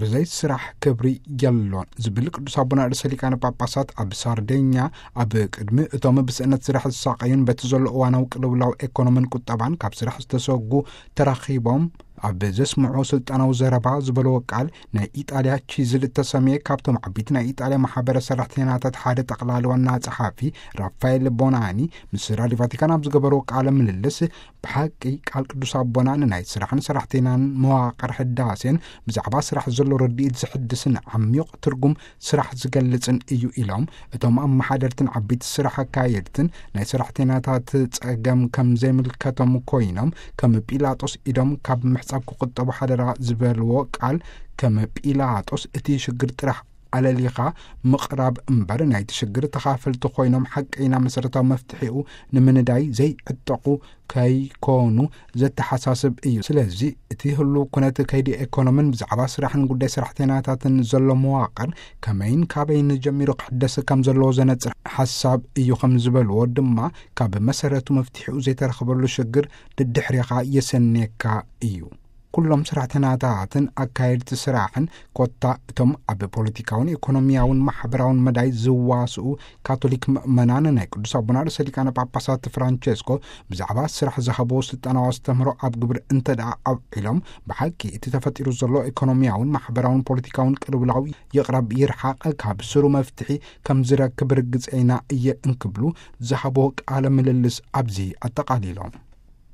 ብዘይ ስራሕ ክብሪ የሎን ዝብል ቅዱስ ኣቦና ርእሰ ሊቃነ ጳጳሳት፣ ኣብ ሳርዴኛ ኣብ ቅድሚ እቶም ብስእነት ስራሕ ዝሳቐዩን በቲ ዘሎ እዋናዊ ቅልውላው ኤኮኖምን ቁጠባን ካብ ስራሕ ዝተሰጉ ተራኺቦም ኣብ ዘስምዑ ስልጣናዊ ዘረባ ዝበልዎ ቃል፣ ናይ ኢጣልያ ቺዝል እተሰምየ ካብቶም ዓበይቲ ናይ ኢጣልያ ማሕበረ ሰራሕተኛታት ሓደ ጠቕላሊ ዋና ጸሓፊ ራፋኤል ቦናኒ ምስ ራድዮ ቫቲካን ኣብ ዝገበርዎ ቃለ ምልልስ፣ ብሓቂ ቃል ቅዱስ ኣቦና ንናይ ስራሕን ሰራሕተኛን መዋቕር ህዳሴን ብዛዕባ ስራሕ ዘሎ ርድኢት ዝሕድስን ዓሚቕ ትርጉም ስራሕ ዝገልጽን እዩ ኢሎም። እቶም ኣመሓደርትን ዓበይቲ ስራሕ ኣካየድትን ናይ ሰራሕተኛታት ጸገም ከም ዘይምልከቶም ኮይኖም፣ ከም ጲላጦስ ኢዶም ካብ ምሕጻብ ክቁጠቡ ሓደራ ዝበልዎ ቃል፣ ከም ጲላጦስ እቲ ሽግር ጥራሕ ኣለሊኻ ምቕራብ እምበር፣ ናይቲ ሽግር ተኻፈልቲ ኮይኖም ሓቀይና መሰረታዊ መፍትሒኡ ንምንዳይ ዘይዕጠቑ ከይኮኑ ዘተሓሳስብ እዩ። ስለዚ እቲ ህሉው ኩነት ከይዲ ኤኮኖምን ብዛዕባ ስራሕን ጉዳይ ሰራሕተኛታትን ዘሎ መዋቕር ከመይን ካበይን ጀሚሩ ክሕደስ ከም ዘለዎ ዘነጽር ሓሳብ እዩ ከም ዝበልዎ ድማ፣ ካብ መሰረቱ መፍትሒኡ ዘይተረኽበሉ ሽግር ድድሕሪኻ የሰንየካ እዩ። ኩሎም ሰራሕተኛታትን ኣካየድቲ ስራሕን፣ ኮታ እቶም ኣብ ፖለቲካውን ኢኮኖሚያውን ማሕበራውን መዳይ ዝዋስኡ ካቶሊክ ምእመናን፣ ናይ ቅዱስ ኣቦና ርእሰ ሊቃነ ጳጳሳት ፍራንቸስኮ ብዛዕባ ስራሕ ዝሃብዎ ስልጣናዊ ኣስተምህሮ ኣብ ግብሪ እንተ ደኣ ኣውዒሎም፣ ብሓቂ እቲ ተፈጢሩ ዘሎ ኢኮኖሚያውን ማሕበራውን ፖለቲካውን ቅልውላው ይቕረብ ይርሓቕ፣ ካብ ስሩ መፍትሒ ከም ዝረክብ ርግጸ ኢና እየ እንክብሉ ዝሃብዎ ቃለ ምልልስ ኣብዚ ኣጠቓሊሎም።